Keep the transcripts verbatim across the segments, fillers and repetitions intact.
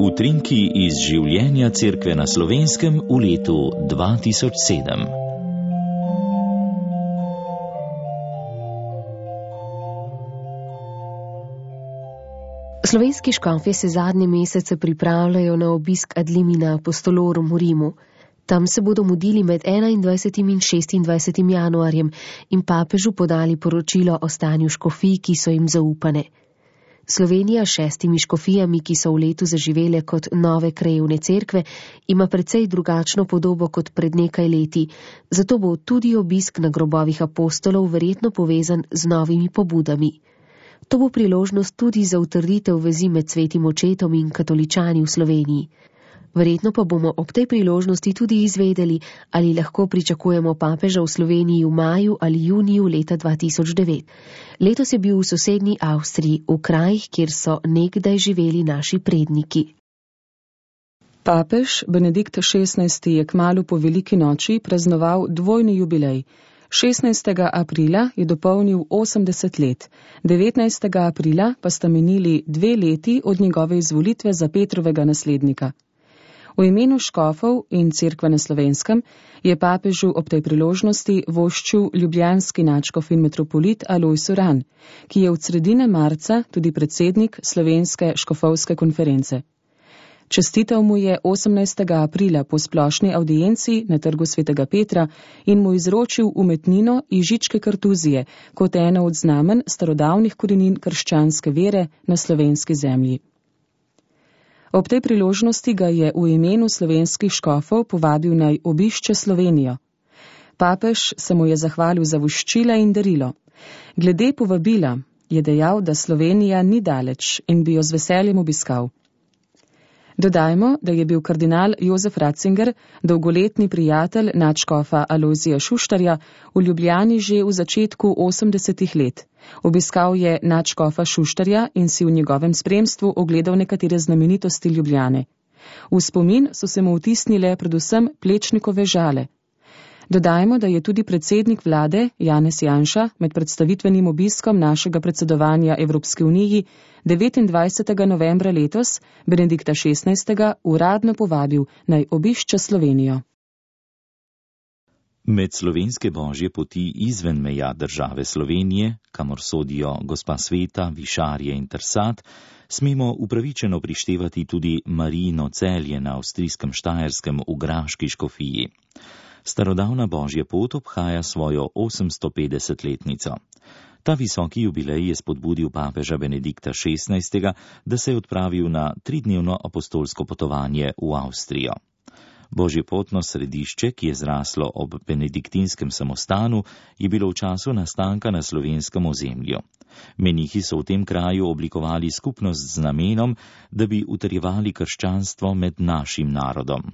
Utrinki iz življenja Cerkve na Slovenskem v letu dva tisoč sedem. Slovenski škofje se zadnje mesece pripravljajo na obisk ad limina apostolorum v Rimu. Tam se bodo mudili med enaindvajsetim in šestindvajsetim januarjem in papežu podali poročilo o stanju škofij, ki so jim zaupane. Slovenija s šestimi škofijami, ki so v letu zaživele kot nove krajevne cerkve, ima precej drugačno podobo kot pred nekaj leti, zato bo tudi obisk na grobovih apostolov verjetno povezan z novimi pobudami. To bo priložnost tudi za utrditev vezi med svetim očetom in katoličani v Sloveniji. Verjetno pa bomo ob tej priložnosti tudi izvedeli, ali lahko pričakujemo papeža v Sloveniji v maju ali juniju leta dva tisoč devet. Letos je bil v sosednji Avstriji, v krajih, kjer so nekdaj živeli naši predniki. Papež Benedikt šestnajsti je kmalu po veliki noči praznoval dvojni jubilej. šestnajstega aprila je dopolnil osemdeset let, devetnajstega aprila pa sta minili dve leti od njegove izvolitve za Petrovega naslednika. V imenu škofov in Cerkve na Slovenskem je papežu ob tej priložnosti voščil ljubljanski nadškof in metropolit Alojz Uran, ki je od sredine marca tudi predsednik Slovenske škofovske konference. Čestital mu je osemnajstega aprila po splošni avdienci na trgu svetega Petra in mu izročil umetnino Ižičke kartuzije kot eno od znamen starodavnih korenin krščanske vere na slovenski zemlji. Ob tej priložnosti ga je v imenu slovenskih škofov povabil naj obišče Slovenijo. Papež se mu je zahvalil za voščila in darilo. Glede povabila je dejal, da Slovenija ni daleč in bi jo z veseljem obiskal. Dodajmo, da je bil kardinal Jozef Ratzinger, dolgoletni prijatelj nadškofa Alojzija Šuštarja, v Ljubljani že v začetku osemdesetih let. Obiskal je nadškofa Šuštarja in si v njegovem spremstvu ogledal nekatere znamenitosti Ljubljane. V spomin so se mu vtisnile predvsem Plečnikove žale. Dodajmo, da je tudi predsednik vlade Janez Janša med predstavitvenim obiskom našega predsedovanja Evropske uniji devetindvajsetega novembra letos Benedikta šestnajstega uradno povabil naj obišče Slovenijo. Med slovenske božje poti izven meja države Slovenije, kamor sodijo Gospa Sveta, Višarje in Trsat, smemo upravičeno prištevati tudi Marijino Celje na avstrijskem Štajerskem v Graški škofiji. Starodavna božja pot obhaja svojo osemstopetdesetletnico. Ta visoki jubilej je spodbudil papeža Benedikta šestnajstega, da se je odpravil na tridnevno apostolsko potovanje v Avstrijo. Božjepotno središče, ki je zraslo ob benediktinskem samostanu, je bilo v času nastanka na slovenskem ozemlju. Menihi so v tem kraju oblikovali skupnost z namenom, da bi utrjevali krščanstvo med našim narodom.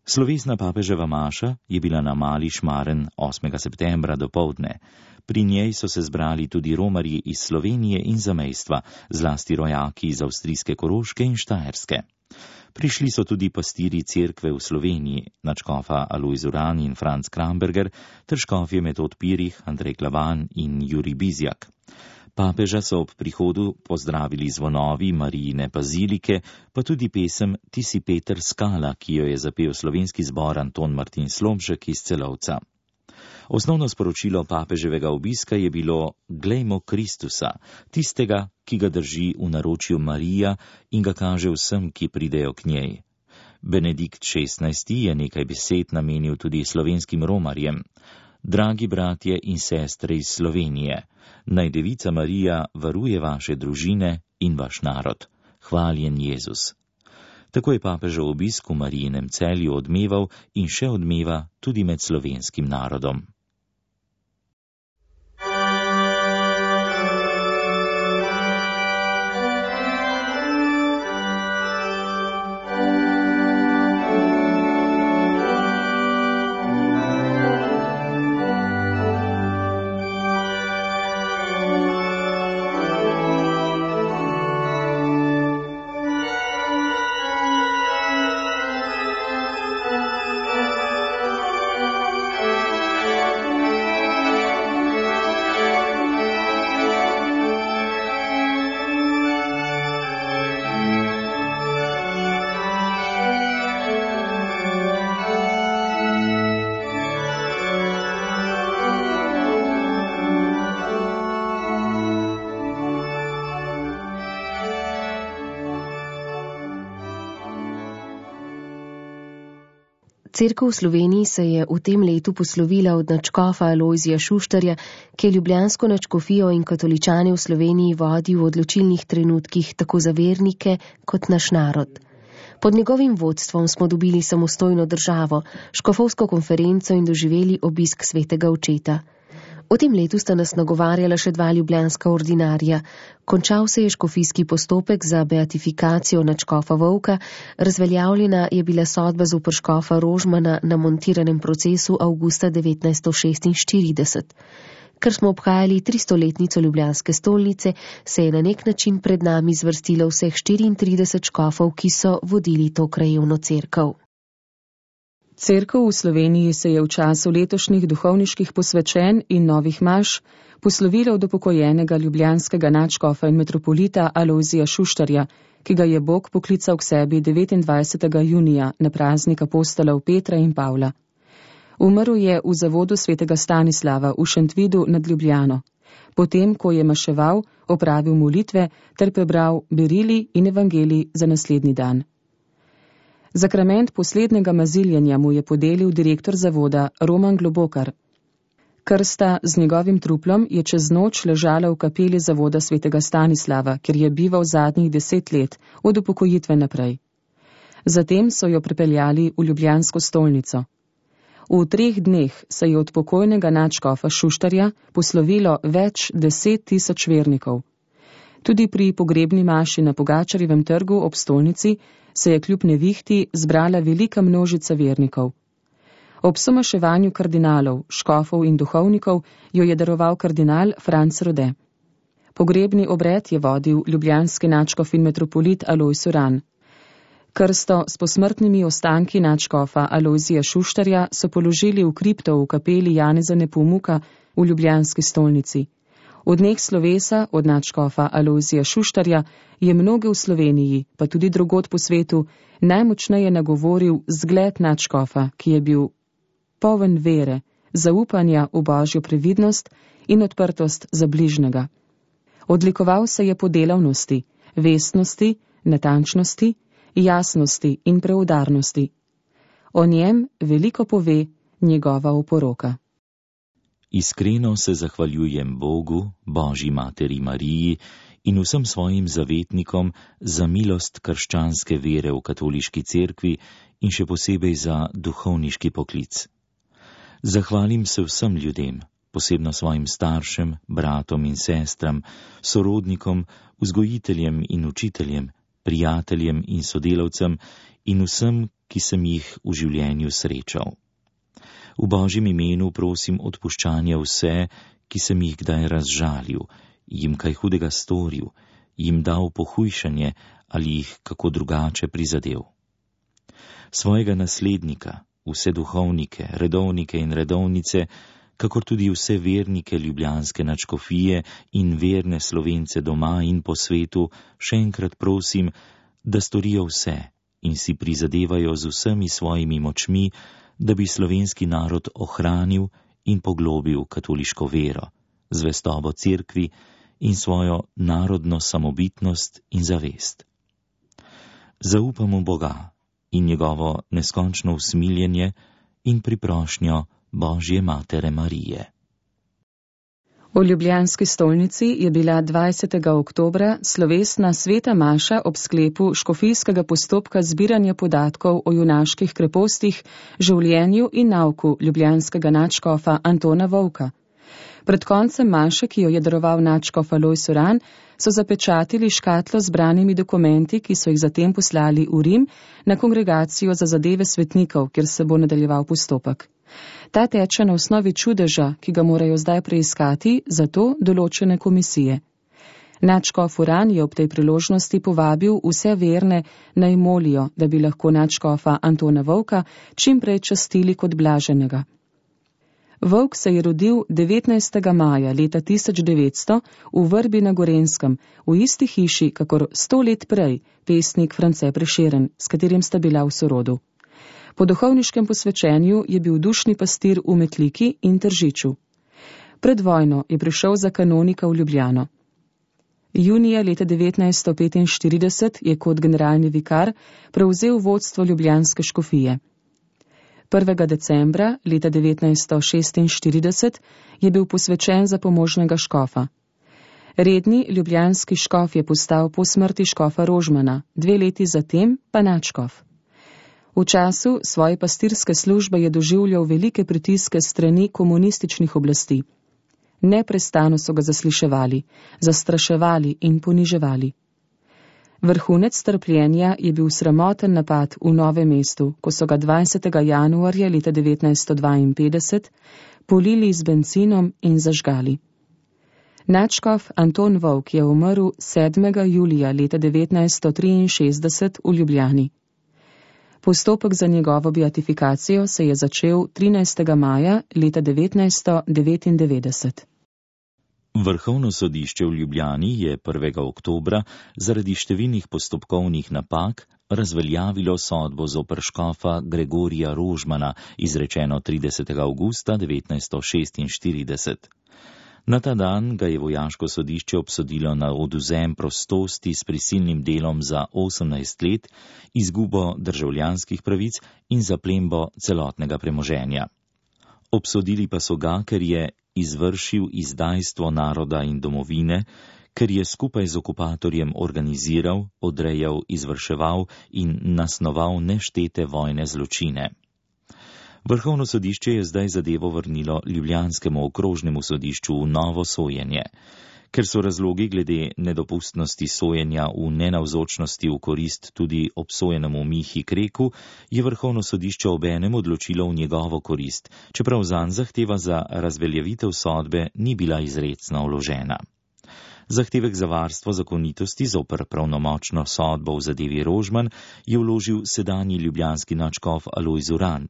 Slovesna papeževa maša je bila na Mali Šmaren osmega septembra dopoldne. Pri njej so se zbrali tudi romarji iz Slovenije in zamejstva, zlasti rojaki iz avstrijske Koroške in Štajerske. Prišli so tudi pastiri cerkve v Sloveniji, nadškofa Alojz Uran in Franc Kramberger, ter škofje Metod Pirih, Andrej Klavan in Jurij Bizjak. Papeža so ob prihodu pozdravili zvonovi Marijine bazilike, pa tudi pesem Ti si Peter Skala, ki jo je zapel slovenski zbor Anton Martin Slomšek iz Celovca. Osnovno sporočilo papeževega obiska je bilo: Glejmo Kristusa, tistega, ki ga drži v naročju Marija in ga kaže vsem, ki pridejo k njej. Benedikt šestnajsti je nekaj besed namenil tudi slovenskim romarjem. Dragi bratje in sestre iz Slovenije, naj Devica Marija varuje vaše družine in vaš narod. Hvaljen Jezus. Tako je papežev obisk v Marijinem Celju odmeval in še odmeva tudi med slovenskim narodom. Cerkev v Sloveniji se je v tem letu poslovila od nadškofa Alojzija Šuštarja, ki je ljubljansko nadškofijo in katoličane v Sloveniji vodil v odločilnih trenutkih tako za vernike kot naš narod. Pod njegovim vodstvom smo dobili samostojno državo, škofovsko konferenco in doživeli obisk svetega očeta. V tem letu sta nas nagovarjala še dva ljubljanska ordinarja. Končal se je škofijski postopek za beatifikacijo nadškofa Vovka, razveljavljena je bila sodba zoper škofa Rožmana na montiranem procesu avgusta devetnajststo šestinštirideset. Ker smo obhajali tristoletnico ljubljanske stolnice, se je na nek način pred nami zvrstilo vseh štiriintrideset škofov, ki so vodili to krajevno cerkev. Cerkev v Sloveniji se je v času letošnjih duhovniških posvečenj in novih maš poslovila od upokojenega ljubljanskega nadškofa in metropolita Alojzija Šuštarja, ki ga je Bog poklical k sebi devetindvajsetega junija na praznik apostolov Petra in Pavla. Umrl je v zavodu svetega Stanislava v Šentvidu nad Ljubljano, potem, ko je maševal, opravil molitve ter prebral berili in evangelij za naslednji dan. Zakrament poslednjega maziljenja mu je podelil direktor zavoda Roman Globokar. Krsta z njegovim truplom je čez noč ležala v kapeli zavoda svetega Stanislava, kjer je bival zadnjih deset let, od upokojitve naprej. Zatem so jo pripeljali v ljubljansko stolnico. V treh dneh se je od pokojnega nadškofa Šuštarja poslovilo več deset tisoč vernikov. Tudi pri pogrebni maši na Pogačarjevem trgu ob stolnici se je kljub nevihti zbrala velika množica vernikov. Ob somaševanju kardinalov, škofov in duhovnikov jo je daroval kardinal Franc Rode. Pogrebni obred je vodil ljubljanski nadškof in metropolit Alojz Uran. Krsto s posmrtnimi ostanki nadškofa Alojzija Šuštarja so položili v kripto v kapeli Janeza Nepomuka v ljubljanski stolnici. V dneh slovesa od nadškofa Alojzija Šuštarja je mnoge v Sloveniji, pa tudi drugod po svetu, najmočneje nagovoril zgled nadškofa, ki je bil poln vere, zaupanja v božjo previdnost in odprtost za bližnjega. Odlikoval se je po delavnosti, vestnosti, natančnosti, jasnosti in preudarnosti. O njem veliko pove njegova oporoka. Iskreno se zahvaljujem Bogu, Božji materi Mariji in vsem svojim zavetnikom za milost krščanske vere v katoliški cerkvi in še posebej za duhovniški poklic. Zahvalim se vsem ljudem, posebno svojim staršem, bratom in sestram, sorodnikom, vzgojiteljem in učiteljem, prijateljem in sodelavcem in vsem, ki sem jih v življenju srečal. V Božjem imenu prosim odpuščanja vse, ki sem jih kdaj razžalil, jim kaj hudega storil, jim dal pohujšanje ali jih kako drugače prizadel. Svojega naslednika, vse duhovnike, redovnike in redovnice, kakor tudi vse vernike ljubljanske nadškofije in verne Slovence doma in po svetu, še enkrat prosim, da storijo vse in si prizadevajo z vsemi svojimi močmi, da bi slovenski narod ohranil in poglobil katoliško vero, zvestobo cerkvi in svojo narodno samobitnost in zavest. Zaupam v Boga in njegovo neskončno usmiljenje in priprošnjo Božje matere Marije. V ljubljanski stolnici je bila dvajsetega oktobra slovesna sveta maša ob sklepu škofijskega postopka zbiranja podatkov o junaških krepostih, življenju in nauku ljubljanskega nadškofa Antona Vovka. Pred koncem maše, ki jo je daroval nadškof Alojz Uran, so zapečatili škatlo z branimi dokumenti, ki so jih zatem poslali v Rim na kongregacijo za zadeve svetnikov, kjer se bo nadaljeval postopek. Ta teče na osnovi čudeža, ki ga morajo zdaj preiskati, zato določene komisije. Nadškof Uran je ob tej priložnosti povabil vse verne naj molijo, da bi lahko nadškofa Antona Vovka čim prej častili kot blaženega. Vovk se je rodil devetnajstega maja leta tisoč devetsto v Vrbi na Gorenjskem, v isti hiši, kakor sto let prej pesnik France Prešeren, s katerim sta bila v sorodu. Po duhovniškem posvečenju je bil dušni pastir v Metliki in Tržiču. Pred vojno je prišel za kanonika v Ljubljano. Junija leta devetnajststo petinštirideset je kot generalni vikar prevzel vodstvo ljubljanske škofije. prvega decembra leta devetnajststo šestinštirideset je bil posvečen za pomožnega škofa. Redni ljubljanski škof je postal po smrti škofa Rožmana, dve leti zatem pa nadškof. V času svoje pastirske službe je doživljal velike pritiske strani komunističnih oblasti. Neprestano so ga zasliševali, zastraševali in poniževali. Vrhunec trpljenja je bil sramoten napad v Novem mestu, ko so ga dvajsetega januarja leta devetnajststo dvainpetdeset polili z bencinom in zažgali. Nadškof Anton Volk je umrl sedmega julija leta devetnajststo triinšestdeset v Ljubljani. Postopek za njegovo beatifikacijo se je začel trinajstega maja leta devetnajststo devetindevetdeset. Vrhovno sodišče v Ljubljani je prvega oktobra zaradi številnih postopkovnih napak razveljavilo sodbo zoper škofa Gregorija Rožmana, izrečeno tridesetega avgusta devetnajststo šestinštirideset. Na ta dan ga je vojaško sodišče obsodilo na odvzem prostosti s prisilnim delom za osemnajst let, izgubo državljanskih pravic in zaplembo celotnega premoženja. Obsodili pa so ga, ker je izvršil izdajstvo naroda in domovine, ker je skupaj z okupatorjem organiziral, odrejal, izvrševal in nasnoval neštete vojne zločine. Vrhovno sodišče je zdaj zadevo vrnilo ljubljanskemu okrožnemu sodišču v novo sojenje. Ker so razlogi glede nedopustnosti sojenja v nenavzočnosti v korist tudi obsojenemu Mihi Kreku, je vrhovno sodišče obenem odločilo v njegovo korist, čeprav zanj zahteva za razveljavitev sodbe ni bila izrecno vložena. Zahtevek za varstvo zakonitosti zoper pravnomočno sodbo v zadevi Rožman je vložil sedanji ljubljanski nadškof Alojz Uran.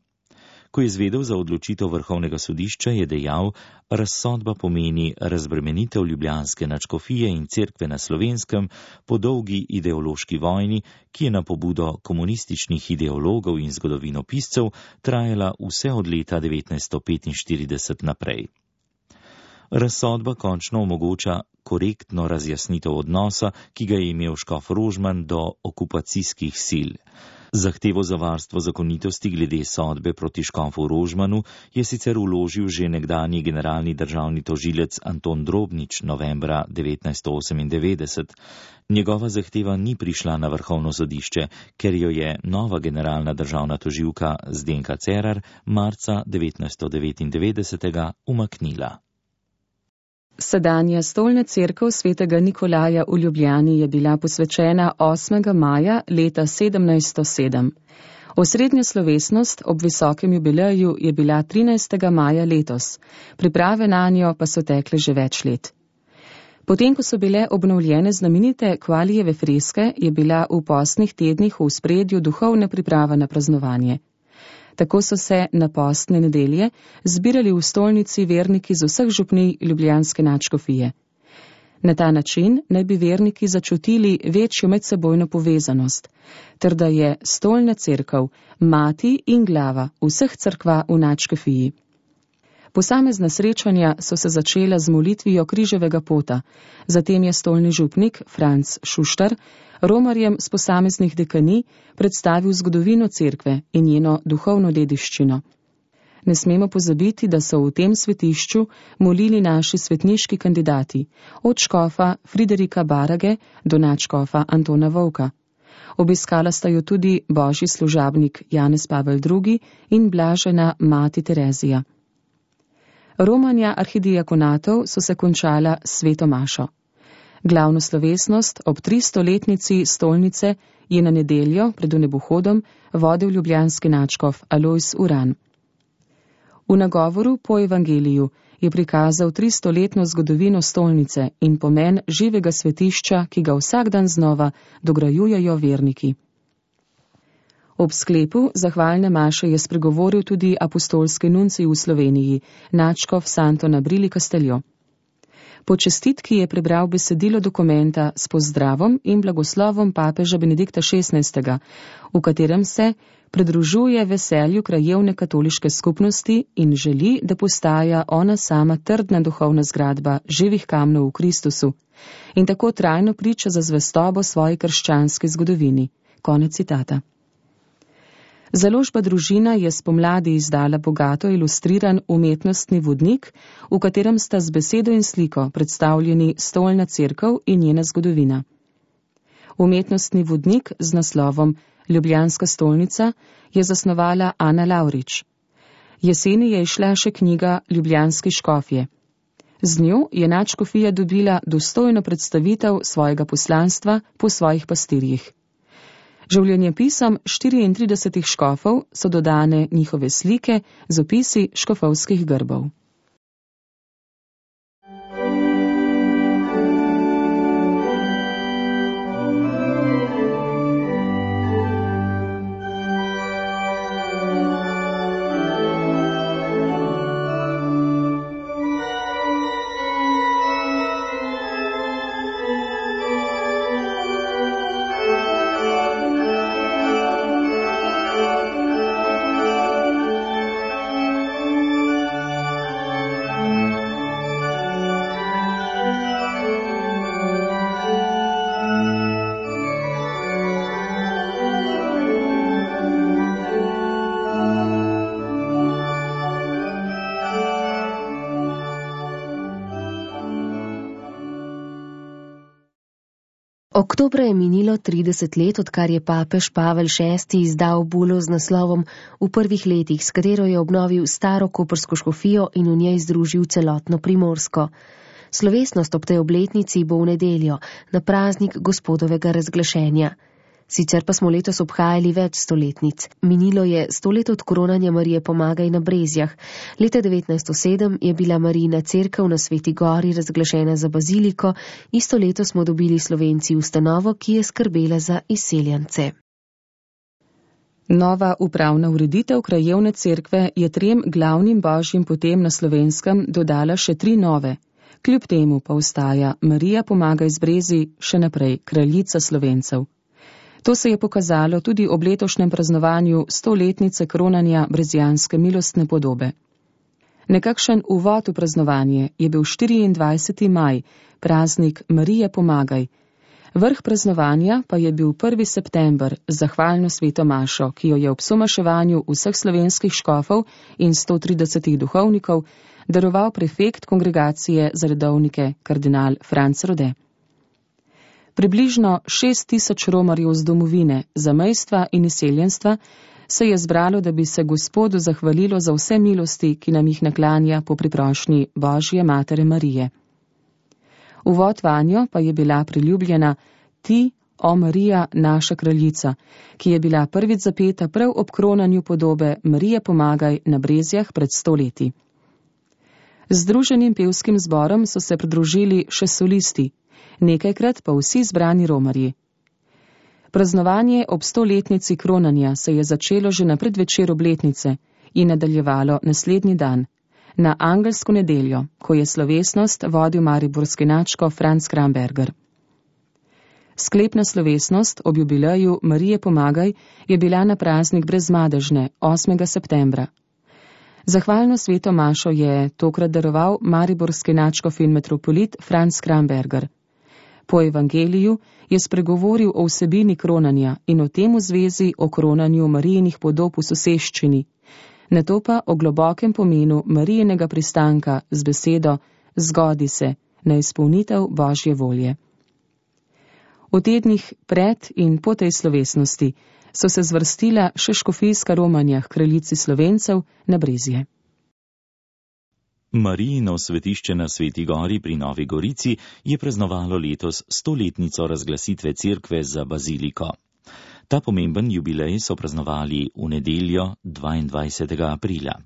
Ko je izvedel za odločitev vrhovnega sodišča, je dejal, razsodba pomeni razbremenitev ljubljanske nadškofije in cerkve na Slovenskem po dolgi ideološki vojni, ki je na pobudo komunističnih ideologov in zgodovinopiscev trajala vse od leta devetnajststo petinštirideset naprej. Razsodba končno omogoča korektno razjasnitev odnosa, ki ga je imel škof Rožman do okupacijskih sil. Zahtevo za varstvo zakonitosti glede sodbe proti škofu Rožmanu je sicer vložil že nekdanji generalni državni tožilec Anton Drobnič novembra devetnajststo osemindevetdeset. Njegova zahteva ni prišla na vrhovno sodišče, ker jo je nova generalna državna tožilka Zdenka Cerar marca devetnajststo devetindevetdesetega umaknila. Sedanja stolna cerkev svetega Nikolaja v Ljubljani je bila posvečena osmega maja leta sedemnajststo sedem. Osrednja slovesnost ob visokem jubileju je bila trinajstega maja letos, priprave nanjo pa so tekle že več let. Potem, ko so bile obnovljene znamenite Kvalijeve freske, je bila v postnih tednih v ospredju duhovna priprava na praznovanje. Tako so se na postne nedelje zbirali v stolnici verniki z vseh župnij ljubljanske nadškofije. Na ta način naj bi verniki začutili večjo medsebojno povezanost, ter da je stolna cerkev mati in glava vseh cerkva v nadškofiji. Posamezna srečanja so se začela z molitvijo križevega pota, zatem je stolni župnik Franc Šuštar romarjem z posameznih dekanij predstavil zgodovino cerkve in njeno duhovno dediščino. Ne smemo pozabiti, da so v tem svetišču molili naši svetniški kandidati, od škofa Friderika Barage do nadškofa Antona Volka. Obiskala sta jo tudi božji služabnik Janez Pavel drugi in blažena mati Terezija. Romanja arhidiakonatov so se končala s sveto mašo. Glavno slovesnost ob tristoletnici stolnice je na nedeljo pred vnebohodom vodil ljubljanski nadškof Alojz Uran. V nagovoru po evangeliju je prikazal tristoletno zgodovino stolnice in pomen živega svetišča, ki ga vsak dan znova dograjujejo verniki. Ob sklepu zahvalne maše je spregovoril tudi apostolski nuncij v Sloveniji, nadškof Santo Nabrili Casteljo. Po čestitki je prebral besedilo dokumenta s pozdravom in blagoslovom papeža Benedikta šestnajstega, v katerem se pridružuje veselju krajevne katoliške skupnosti in želi, da postaja ona sama trdna duhovna zgradba živih kamnov v Kristusu in tako trajno priča za zvestobo svoji krščanski zgodovini. Konec citata. Založba Družina je spomladi izdala bogato ilustriran umetnostni vodnik, v katerem sta z besedo in sliko predstavljeni stolna cerkev in njena zgodovina. Umetnostni vodnik z naslovom Ljubljanska stolnica je zasnovala Ana Lavrič. Jeseni je izšla še knjiga Ljubljanski škofje. Z njo je nadškofija dobila dostojno predstavitev svojega poslanstva po svojih pastirjih. Življenjepisom štiriintridesetih škofov so dodane njihove slike z opisi škofovskih grbov. Oktobra je minilo trideset let, odkar je papež Pavel šesti izdal bulo z naslovom V prvih letih, s katero je obnovil staro koprsko škofijo in v njej združil celotno Primorsko. Slovesnost ob tej obletnici bo v nedeljo, na praznik Gospodovega razglašenja. Sicer pa smo letos obhajali več stoletnic. Minilo je sto let od koronanja Marije Pomagaj na Brezjah. Leta devetnajststo sedem je bila Marijina cerkev na Sveti Gori razglašena za baziliko, isto leto smo dobili Slovenci ustanovo, ki je skrbela za izseljence. Nova upravna ureditev krajevne cerkve je trem glavnim božjim potem na Slovenskem dodala še tri nove. Kljub temu pa ostaja Marija Pomagaj z Brezij še naprej kraljica Slovencev. To se je pokazalo tudi ob letošnjem praznovanju stoletnice kronanja brezijanske milostne podobe. Nekakšen uvod v praznovanje je bil štiriindvajseti maj, praznik Marije Pomagaj. Vrh praznovanja pa je bil prvi september z zahvalno sveto mašo, ki jo je ob somaševanju vseh slovenskih škofov in sto tridesetih duhovnikov daroval prefekt kongregacije za redovnike kardinal Franc Rode. Približno šest tisoč romarjev z domovine, zamejstva in izseljenstva se je zbralo, da bi se Gospodu zahvalilo za vse milosti, ki nam jih naklanja po priprošnji Božje Matere Marije. Uvod vanjo pa je bila priljubljena Ti, o Marija, naša kraljica, ki je bila prvič zapeta prav ob kronanju podobe Marije Pomagaj na Brezjah pred sto leti. Z združenim pevskim zborom so se pridružili še solisti, nekajkrat pa vsi zbrani romarji. Praznovanje ob stoletnici kronanja se je začelo že na predvečer obletnice in nadaljevalo naslednji dan, na angelsko nedeljo, ko je slovesnost vodil mariborski nadškof Franc Kramberger. Sklepna slovesnost ob jubileju Marije Pomagaj je bila na praznik Brezmadežne, osmega septembra. Zahvalno sveto mašo je tokrat daroval mariborski nadškof in metropolit Franc Kramberger. Po evangeliju je spregovoril o vsebini kronanja in o tem v zvezi o kronanju Marijinih podob v soseščini, nato pa o globokem pomenu Marijinega pristanka z besedo zgodi se na izpolnitev Božje volje. V tednih pred in po tej slovesnosti so se zvrstila še škofijska romanja k kraljici Slovencev na Brezje. Marijino svetišče na Sveti Gori pri Novi Gorici je praznovalo letos stoletnico razglasitve cerkve za baziliko. Ta pomemben jubilej so praznovali v nedeljo dvaindvajsetega aprila.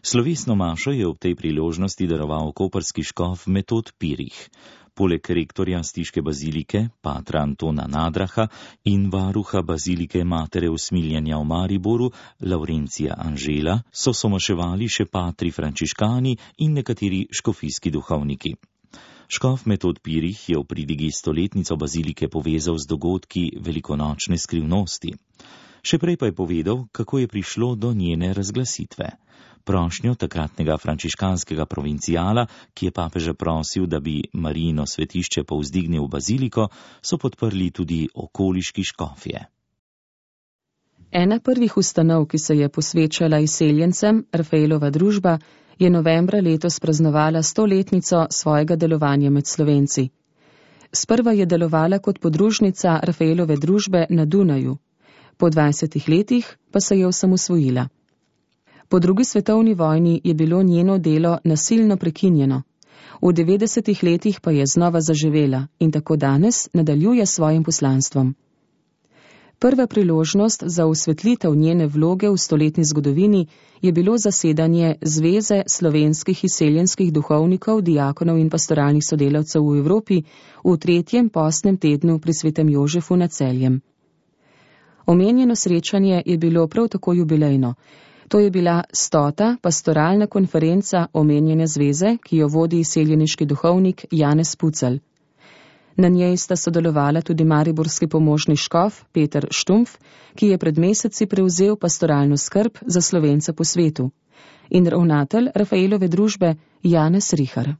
Slovesno mašo je ob tej priložnosti daroval koprski škof Metod Pirih. Poleg rektorja Stiške bazilike, patra Antona Nadraha in varuha bazilike Matere usmiljenja v Mariboru, Laurencija Anžela, so somaševali še patri frančiškani in nekateri škofijski duhovniki. Škof Metod Pirih je v pridigi stoletnico bazilike povezal z dogodki velikonočne skrivnosti. Še prej pa je povedal, kako je prišlo do njene razglasitve. Prošnjo takratnega frančiškanskega provincijala, ki je papeža prosil, da bi Marijino svetišče povzdignil v baziliko, so podprli tudi okoliški škofje. Ena prvih ustanov, ki se je posvečala izseljencem, Rafaelova družba, je novembra letos praznovala stoletnico svojega delovanja med Slovenci. Sprva je delovala kot podružnica Rafaelove družbe na Dunaju, po dvajsetih letih pa se je osamosvojila. Po drugi svetovni vojni je bilo njeno delo nasilno prekinjeno. V devetdesetih letih pa je znova zaživela in tako danes nadaljuje svojim poslanstvom. Prva priložnost za osvetlitev njene vloge v stoletni zgodovini je bilo zasedanje Zveze slovenskih izseljenskih duhovnikov, diakonov in pastoralnih sodelavcev v Evropi v tretjem postnem tednu pri svetem Jožefu nad Celjem. Omenjeno srečanje je bilo prav tako jubilejno. To je bila stota pastoralna konferenca omenjene zveze, ki jo vodi izseljeniški duhovnik Janez Pucelj. Na njej sta sodelovala tudi mariborski pomožni škof Peter Štumpf, ki je pred meseci prevzel pastoralno skrb za Slovence po svetu, in ravnatelj Rafaelove družbe Janez Rihar.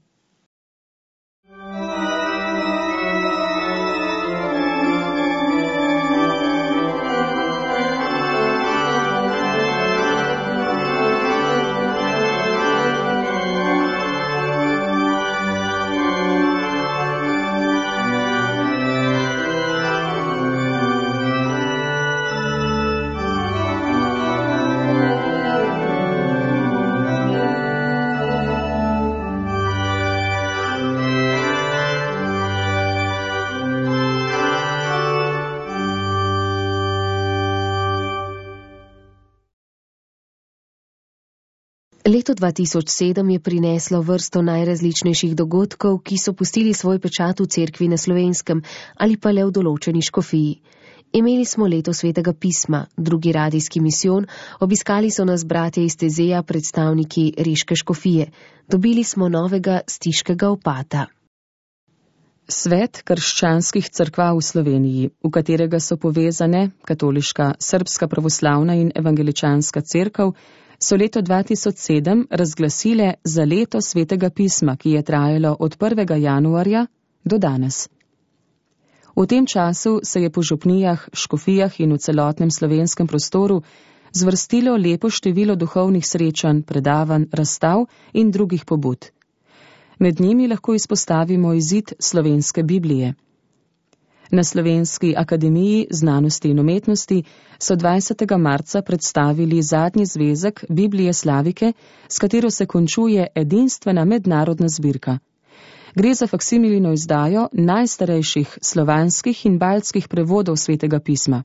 Leto dva tisoč sedem je prineslo vrsto najrazličnejših dogodkov, ki so pustili svoj pečat v cerkvi na Slovenskem ali pa le v določeni škofiji. Imeli smo leto svetega pisma, drugi radijski misijon, obiskali so nas bratje iz Tezeja, predstavniki Riške škofije. Dobili smo novega stiškega opata. Svet krščanskih cerkva v Sloveniji, v katerega so povezane katoliška, srbska pravoslavna in evangeličanska cerkev, so leto dva tisoč sedem razglasile za leto svetega pisma, ki je trajalo od prvega januarja do danes. V tem času se je po župnijah, škofijah in v celotnem slovenskem prostoru zvrstilo lepo število duhovnih srečanj, predavanj, razstav in drugih pobud. Med njimi lahko izpostavimo izid slovenske Biblije. Na Slovenski akademiji znanosti in umetnosti so dvajsetega marca predstavili zadnji zvezek Biblije Slavike, s katero se končuje edinstvena mednarodna zbirka. Gre za faksimilino izdajo najstarejših slovanskih in baltskih prevodov svetega pisma.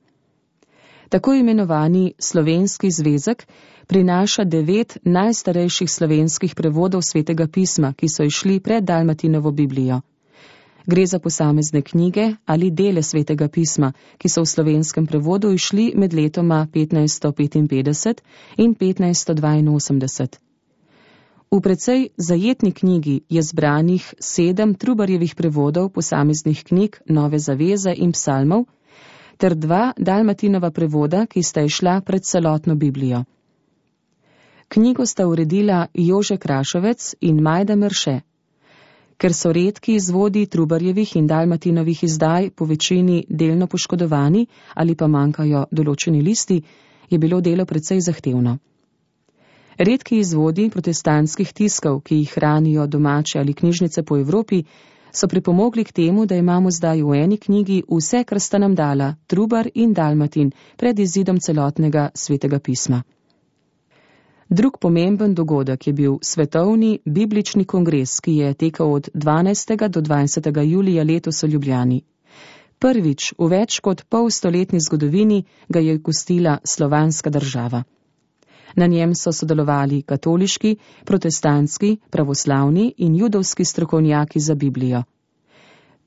Tako imenovani slovenski zvezek prinaša devet najstarejših slovenskih prevodov svetega pisma, ki so išli pred Dalmatinovo Biblijo. Gre za posamezne knjige ali dele svetega pisma, ki so v slovenskem prevodu išli med letoma petnajststo petinpetdeset in petnajststo dvainosemdeset. V precej zajetni knjigi je zbranih sedem Trubarjevih prevodov posameznih knjig Nove zaveze in psalmov, ter dva Dalmatinova prevoda, ki sta išla pred celotno Biblijo. Knjigo sta uredila Jože Krašovec in Majda Merše. Ker so redki izvodi Trubarjevih in Dalmatinovih izdaj po večini delno poškodovani ali pa manjkajo določeni listi, je bilo delo precej zahtevno. Redki izvodi protestantskih tiskov, ki jih hranijo domače ali knjižnice po Evropi, so pripomogli k temu, da imamo zdaj v eni knjigi vse, kar sta nam dala Trubar in Dalmatin pred izidom celotnega svetega pisma. Drug pomemben dogodek je bil svetovni biblični kongres, ki je tekel od dvanajstega do dvajsetega julija letos v Ljubljani. Prvič v več kot polstoletni zgodovini ga je gostila slovanska država. Na njem so sodelovali katoliški, protestantski, pravoslavni in judovski strokovnjaki za Biblijo.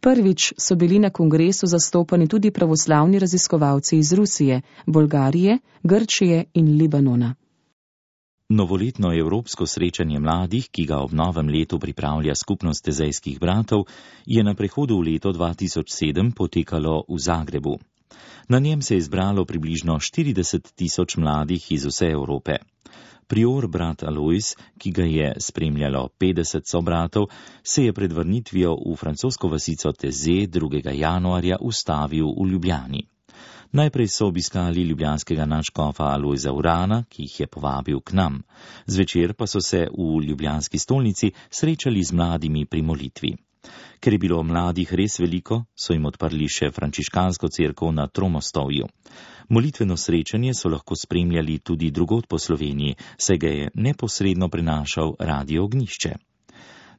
Prvič so bili na kongresu zastopani tudi pravoslavni raziskovalci iz Rusije, Bolgarije, Grčije in Libanona. Novoletno evropsko srečanje mladih, ki ga ob novem letu pripravlja skupnost tezejskih bratov, je na prehodu v leto dva tisoč sedem potekalo v Zagrebu. Na njem se je zbralo približno štirideset tisoč mladih iz vse Evrope. Prior brat Alojz, ki ga je spremljalo petdeset sobratov, se je pred vrnitvijo v francosko vasico Teze drugega januarja ustavil v Ljubljani. Najprej so obiskali ljubljanskega nadškofa Alojza Urana, ki jih je povabil k nam. Zvečer pa so se v ljubljanski stolnici srečali z mladimi pri molitvi. Ker je bilo mladih res veliko, so jim odprli še frančiškansko cerkev na Tromostovju. Molitveno srečanje so lahko spremljali tudi drugod po Sloveniji, saj ga je neposredno prenašal Radio Ognjišče.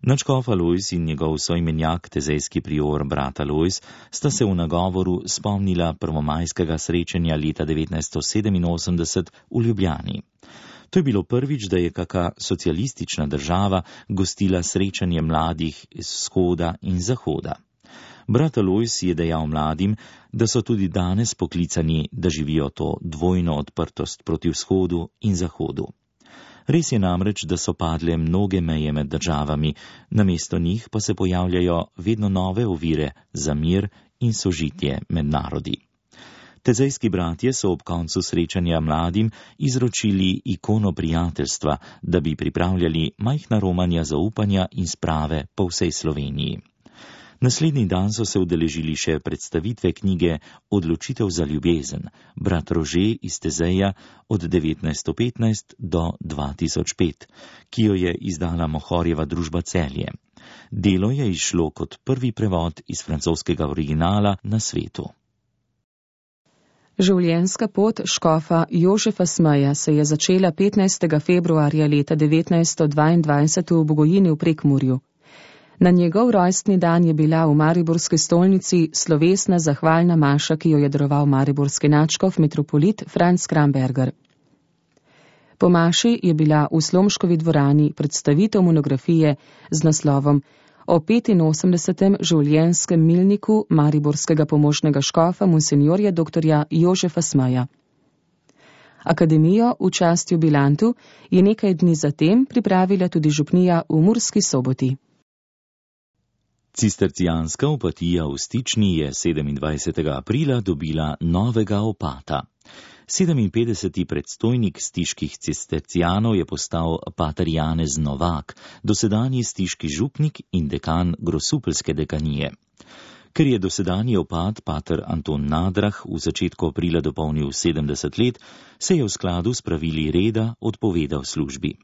Nadškof Alojz in njegov soimenjak, tezejski prior brat Alojz, sta se v nagovoru spomnila prvomajskega srečanja leta devetnajststo sedeminosemdeset v Ljubljani. To je bilo prvič, da je kaka socialistična država gostila srečanje mladih iz vzhoda in zahoda. Brat Alojz je dejal mladim, da so tudi danes poklicani, da živijo to dvojno odprtost proti vzhodu in zahodu. Res je namreč, da so padle mnoge meje med državami, namesto njih pa se pojavljajo vedno nove ovire za mir in sožitje med narodi. Tezejski bratje so ob koncu srečanja mladim izročili ikono prijateljstva, da bi pripravljali majhna romanja zaupanja in sprave po vsej Sloveniji. Naslednji dan so se udeležili še predstavitve knjige Odločitev za ljubezen, brat Rože iz Tezeja od devetnajststo petnajst do dva tisoč pet, ki jo je izdala Mohorjeva družba Celje. Delo je izšlo kot prvi prevod iz francoskega originala na svetu. Življenjska pot škofa Jožefa Smeja se je začela petnajstega februarja leta devetnajststo dvaindvajset v Bogojini v Prekmurju. Na njegov rojstni dan je bila v mariborski stolnici slovesna zahvalna maša, ki jo je daroval mariborski nadškof metropolit Franc Kramberger. Po maši je bila v Slomškovi dvorani predstavitev monografije z naslovom o petinosemdesetem življenjskem milniku mariborskega pomožnega škofa monsinjorja doktorja Jožefa Smeja. Akademijo v čast jubilantu je nekaj dni zatem pripravila tudi župnija v Murski Soboti. Cistercijanska opatija v Stični je sedemindvajsetega aprila dobila novega opata. sedeminpetdeseti predstojnik stiških cistercijanov je postal pater Janez Novak, dosedanji stiški župnik in dekan Grosupeljske dekanije. Ker je dosedanji opat pater Anton Nadrah v začetku aprila dopolnil sedemdeset let, se je v skladu s pravili reda odpovedal službi.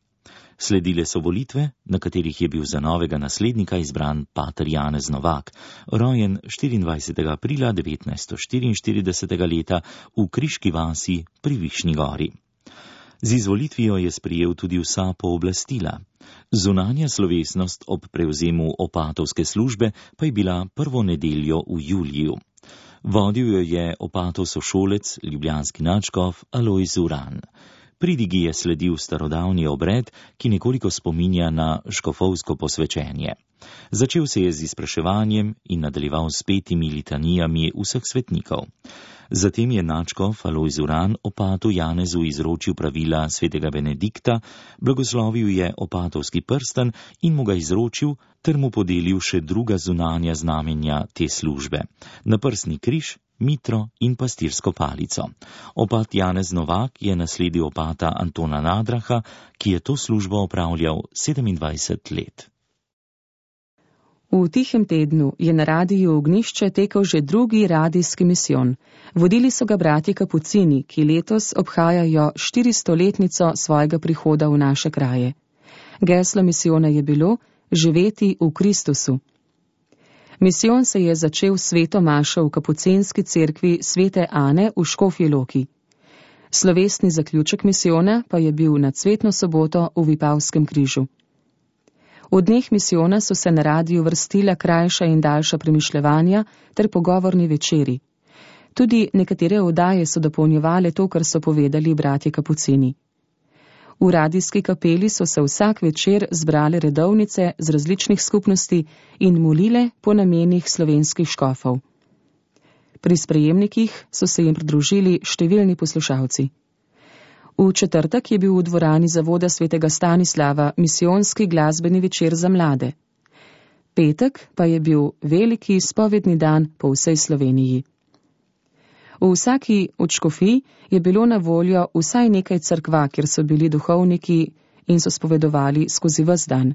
Sledile so volitve, na katerih je bil za novega naslednika izbran pater Janez Novak, rojen štiriindvajsetega aprila devetnajststo štiriinštiridesetega leta v Kriški vasi pri Višnji gori. Z izvolitvijo je sprejel tudi vsa pooblastila. Zunanja slovesnost ob prevzemu opatovske službe pa je bila prvo nedeljo v juliju. Vodil jo je opatov sošolec, ljubljanski nadškof Alojz Uran. Pridigi je sledil starodavni obred, ki nekoliko spominja na škofovsko posvečenje. Začel se je z izpraševanjem in nadaljeval s petimi litanijami vseh svetnikov. Zatem je nadškof Alojz Uran opatu Janezu izročil pravila svetega Benedikta, blagoslovil je opatovski prsten in mu ga izročil ter mu podelil še druga zunanja znamenja te službe: naprsni križ, mitro in pastirsko palico. Opat Janez Novak je nasledil opata Antona Nadraha, ki je to službo opravljal sedemindvajset let. V tihem tednu je na radiju Ognjišče tekel že drugi radijski misijon. Vodili so ga bratje Kapucini, ki letos obhajajo štiristoletnico svojega prihoda v naše kraje. Geslo misijona je bilo živeti v Kristusu. Misijon se je začel s sveto mašo v kapucinski cerkvi svete Ane v Škofji Loki. Slovesni zaključek misijona pa je bil na cvetno soboto v Vipavskem križu. V dneh misijona so se na radiju vrstila krajša in daljša premišljevanja ter pogovorni večeri. Tudi nekatere oddaje so dopolnjevale to, kar so povedali bratje Kapucini. V radijski kapeli so se vsak večer zbrale redovnice z različnih skupnosti in molile po namenih slovenskih škofov. Pri sprejemnikih so se jim pridružili številni poslušalci. V četrtek je bil v dvorani zavoda svetega Stanislava misijonski glasbeni večer za mlade. Petek pa je bil veliki spovedni dan po vsej Sloveniji. V vsaki od škofij je bilo na voljo vsaj nekaj cerkva, kjer so bili duhovniki in so spovedovali skozi ves dan.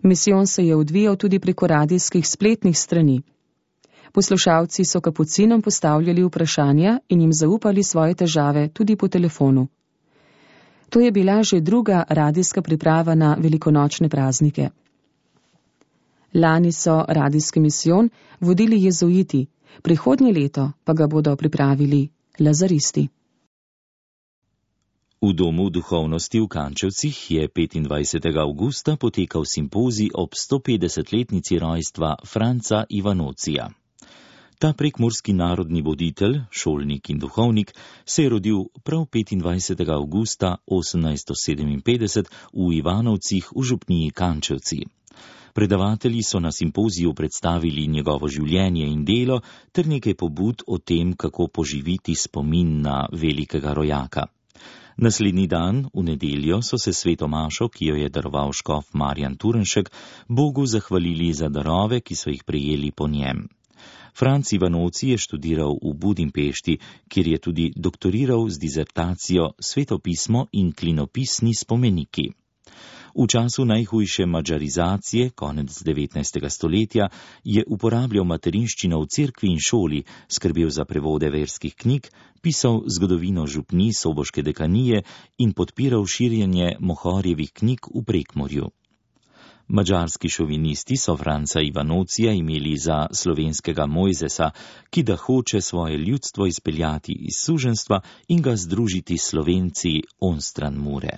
Misijon se je odvijal tudi preko radijskih spletnih strani. Poslušalci so kapucinom postavljali vprašanja in jim zaupali svoje težave tudi po telefonu. To je bila že druga radijska priprava na velikonočne praznike. Lani so radijski misijon vodili jezuiti, prihodnje leto pa ga bodo pripravili lazaristi. V Domu duhovnosti v Kančevcih je petindvajsetega avgusta potekal simpozij ob stopetdesetletnici rojstva Franca Ivanocija. Ta prekmurski narodni voditelj, šolnik in duhovnik se je rodil prav petindvajsetega avgusta osemnajststo sedeminpetdeset v Ivanovcih v župniji Kančevci. Predavatelji so na simpoziju predstavili njegovo življenje in delo ter nekaj pobud o tem, kako poživiti spomin na velikega rojaka. Naslednji dan, v nedeljo, so se sveto mašo, ki jo je daroval škof Marjan Turnšek, Bogu zahvalili za darove, ki so jih prejeli po njem. Franc Ivanoci je študiral v Budimpešti, kjer je tudi doktoriral z dizertacijo Svetopismo in klinopisni spomeniki. V času najhujše madžarizacije, konec devetnajstega stoletja, je uporabljal materinščino v cerkvi in šoli, skrbel za prevode verskih knjig, pisal zgodovino župni soboške dekanije in podpiral širjenje Mohorjevih knjig v Prekmurju. Madžarski šovinisti so Franca Ivanocija imeli za slovenskega Mojzesa, ki da hoče svoje ljudstvo izpeljati iz suženstva in ga združiti s Slovenci onstran Mure.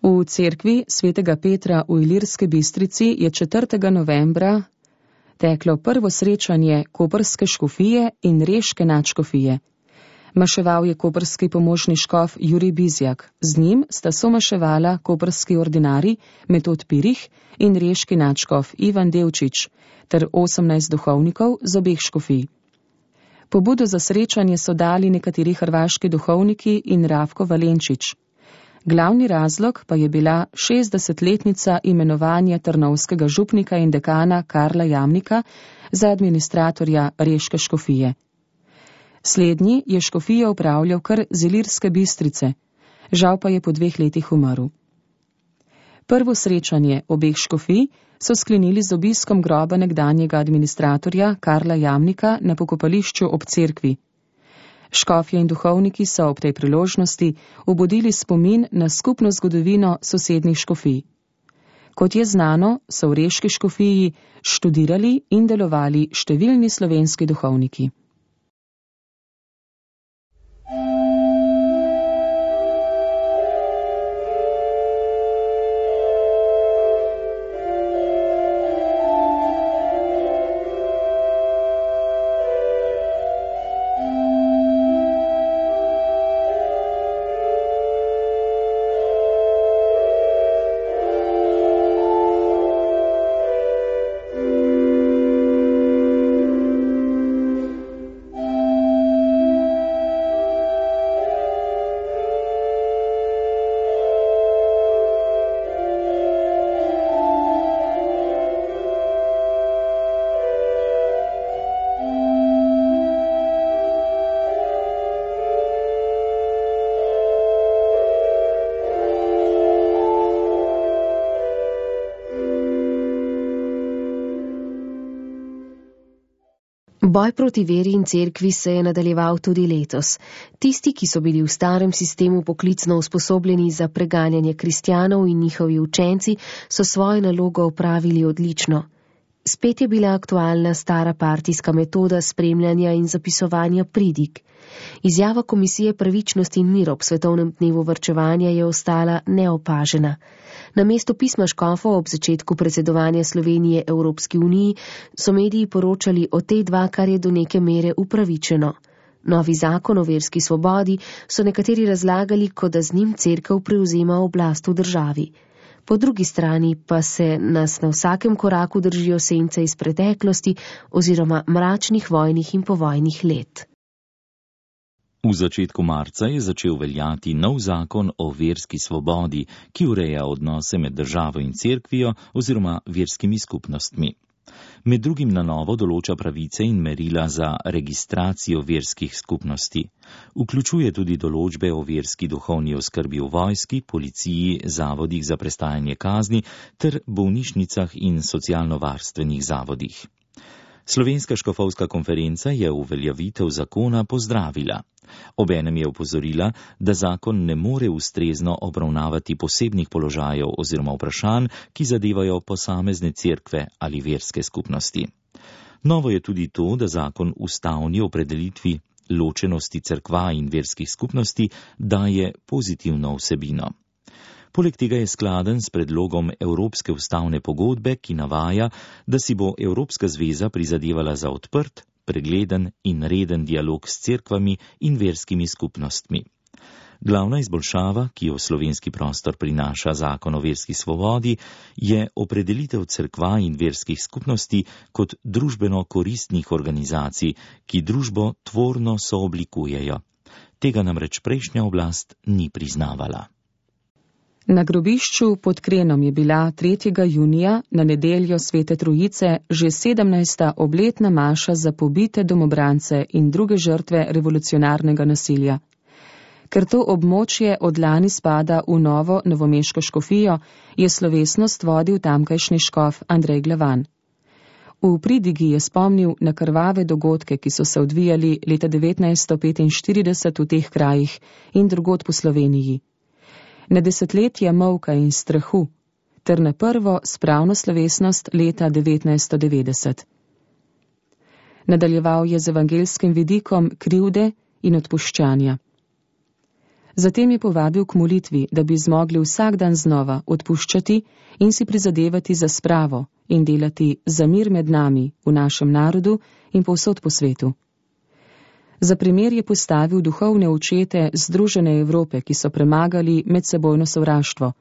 V cerkvi svetega Petra v Ilirski Bistrici je četrtega novembra teklo prvo srečanje koprske škofije in reške nadškofije. Maševal je koprski pomožni škof Jurij Bizjak. Z njim sta somaševala koprski ordinari Metod Pirih in reški nadškof Ivan Devčič ter osemnajst duhovnikov z obeh škofij. Pobudo za srečanje so dali nekateri hrvaški duhovniki in Ravko Valenčič. Glavni razlog pa je bila šestdesetletnica imenovanja trnovskega župnika in dekana Karla Jamnika za administratorja reške škofije. Slednji je škofijo upravljal kar z Ilirske Bistrice, žal pa je po dveh letih umrl. Prvo srečanje obeh škofij so sklenili z obiskom groba nekdanjega administratorja Karla Jamnika na pokopališču ob cerkvi. Škofje in duhovniki so ob tej priložnosti obudili spomin na skupno zgodovino sosednjih škofij. Kot je znano, so v reški škofiji študirali in delovali številni slovenski duhovniki. Boj proti veri in cerkvi se je nadaljeval tudi letos. Tisti, ki so bili v starem sistemu poklicno usposobljeni za preganjanje kristjanov in njihovi učenci, so svojo nalogo opravili odlično. Spet je bila aktualna stara partijska metoda spremljanja in zapisovanja pridig. Izjava Komisije pravičnosti in mir ob svetovnem dnevu varčevanja je ostala neopažena. Namesto pisma škofov ob začetku predsedovanja Slovenije Evropski uniji so mediji poročali o tej dva, kar je do neke mere upravičeno. Novi zakon o verski svobodi so nekateri razlagali, kot da z njim cerkev prevzema oblast v državi. Po drugi strani pa se nas na vsakem koraku držijo sence iz preteklosti oziroma mračnih vojnih in povojnih let. V začetku marca je začel veljati nov zakon o verski svobodi, ki ureja odnose med državo in cerkvijo oziroma verskimi skupnostmi. Med drugim na novo določa pravice in merila za registracijo verskih skupnosti. Vključuje tudi določbe o verski duhovni oskrbi v vojski, policiji, zavodih za prestajanje kazni ter bolnišnicah in socialno-varstvenih zavodih. Slovenska škofovska konferenca je uveljavitev zakona pozdravila. Obenem je opozorila, da zakon ne more ustrezno obravnavati posebnih položajev oziroma vprašanj, ki zadevajo posamezne cerkve ali verske skupnosti. Novo je tudi to, da zakon ustavni opredelitvi ločenosti cerkva in verskih skupnosti daje pozitivno vsebino. Poleg tega je skladen s predlogom Evropske ustavne pogodbe, ki navaja, da si bo Evropska zveza prizadevala za odprt, pregleden in reden dialog s cerkvami in verskimi skupnostmi. Glavna izboljšava, ki jo v slovenski prostor prinaša zakon o verski svobodi, je opredelitev cerkva in verskih skupnosti kot družbeno koristnih organizacij, ki družbo tvorno sooblikujejo. Tega namreč prejšnja oblast ni priznavala. Na grobišču pod Krenom je bila tretjega junija na nedeljo Svete Trojice že sedemnajsta obletna maša za pobite domobrance in druge žrtve revolucionarnega nasilja. Ker to območje od lani spada v novo novomeško škofijo, je slovesnost vodil tamkajšnji škof Andrej Glavan. V pridigi je spomnil na krvave dogodke, ki so se odvijali leta devetnajststo petinštirideset v teh krajih in drugod po Sloveniji. Na desetletja molka in strahu, ter na prvo spravno slovesnost leta devetnajststo devetdeset. Nadaljeval je z evangelskim vidikom krivde in odpuščanja. Zatem je povabil k molitvi, da bi zmogli vsak dan znova odpuščati in si prizadevati za spravo in delati za mir med nami, v našem narodu in povsod po svetu. Za primer je postavil duhovne očete Združene Evrope, ki so premagali medsebojno sovraštvo,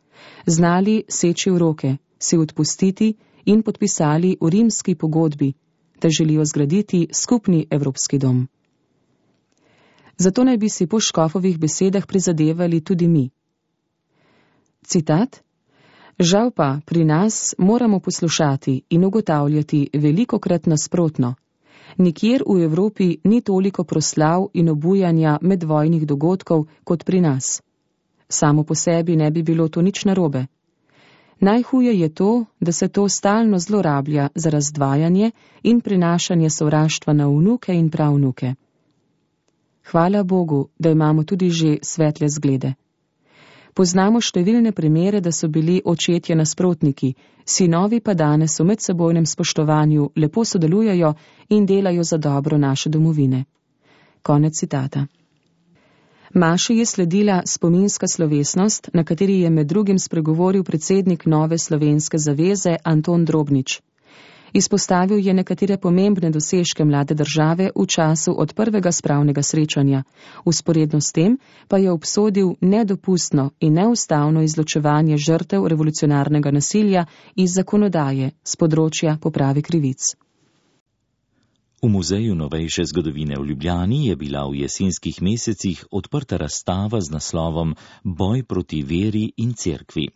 znali seči v roke, si odpustiti in podpisali v rimski pogodbi, da želijo zgraditi skupni evropski dom. Zato naj bi si po škofovih besedah prizadevali tudi mi. Citat: Žal pa pri nas moramo poslušati in ugotavljati velikokrat nasprotno. Nikjer v Evropi ni toliko proslav in obujanja medvojnih dogodkov kot pri nas. Samo po sebi ne bi bilo to nič narobe. Najhuje je to, da se to stalno zlorablja za razdvajanje in prinašanje sovraštva na vnuke in pravnuke. Hvala Bogu, da imamo tudi že svetle zglede. Poznamo številne primere, da so bili očetje nasprotniki, sinovi pa danes v medsebojnem spoštovanju lepo sodelujejo in delajo za dobro naše domovine. Konec citata. Maši je sledila spominska slovesnost, na kateri je med drugim spregovoril predsednik Nove slovenske zaveze Anton Drobnič. Izpostavil je nekatere pomembne dosežke mlade države v času od prvega spravnega srečanja, vzporedno s tem pa je obsodil nedopustno in neustavno izločevanje žrtev revolucionarnega nasilja iz zakonodaje z področja poprave krivic. V Muzeju novejše zgodovine v Ljubljani je bila v jesenskih mesecih odprta razstava z naslovom Boj proti veri in cerkvi.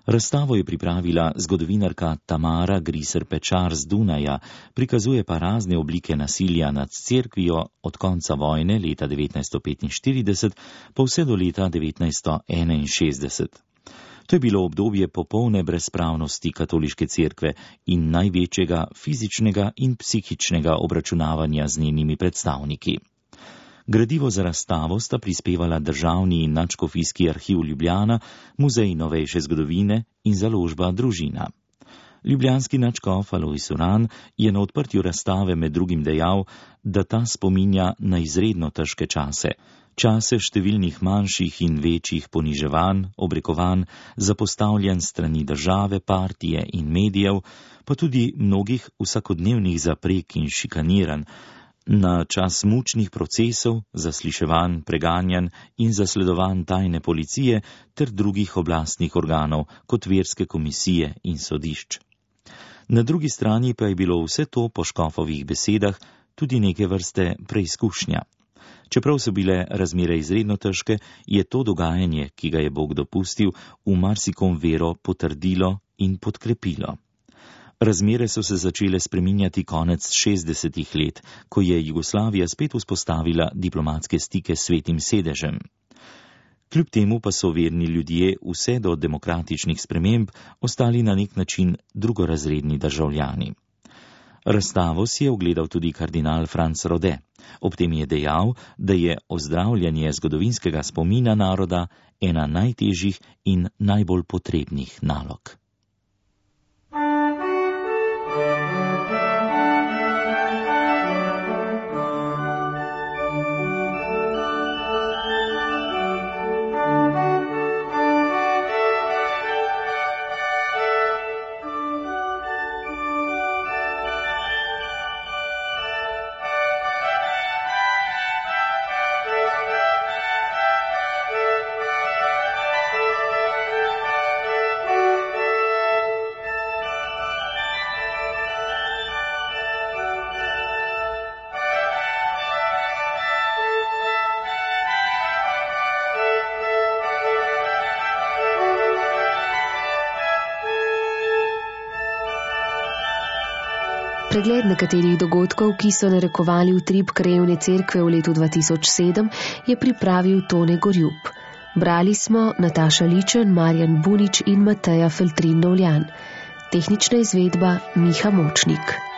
Razstavo je pripravila zgodovinarka Tamara Griser-Pečar z Dunaja, prikazuje pa razne oblike nasilja nad cerkvijo od konca vojne leta devetnajststo petinštirideset pa vse do leta devetnajststo enainšestdeset. To je bilo obdobje popolne brezpravnosti katoliške cerkve in največjega fizičnega in psihičnega obračunavanja z njenimi predstavniki. Gradivo za razstavo sta prispevala Državni in nadškofijski arhiv Ljubljana, Muzej novejše zgodovine in založba Družina. Ljubljanski nadškof Alojz Uran je na odprtju razstave med drugim dejal, da ta spominja na izredno težke čase, čase številnih manjših in večjih poniževanj, obrekovanj, zapostavljanj strani države, partije in medijev, pa tudi mnogih vsakodnevnih zaprek in šikaniranj, na čas mučnih procesov, zasliševanj, preganjanj in zasledovanj tajne policije ter drugih oblastnih organov, kot verske komisije in sodišč. Na drugi strani pa je bilo vse to po škofovih besedah tudi neke vrste preizkušnja. Čeprav so bile razmere izredno težke, je to dogajanje, ki ga je Bog dopustil, v marsikom vero potrdilo in podkrepilo. Razmere so se začele spreminjati konec šestdesetih let, ko je Jugoslavija spet vzpostavila diplomatske stike s Svetim sedežem. Kljub temu pa so verni ljudje vse do demokratičnih sprememb ostali na nek način drugorazredni državljani. Razstavo si je ogledal tudi kardinal Franc Rode. Ob tem je dejal, da je ozdravljanje zgodovinskega spomina naroda ena najtežjih in najbolj potrebnih nalog. Pregled nekaterih dogodkov, ki so narekovali utrip krajevne cerkve v letu dva tisoč sedem, je pripravil Tone Gorjup. Brali smo Nataša Ličen, Marjan Bunič in Mateja Feltrin Novljan. Tehnična izvedba Miha Močnik.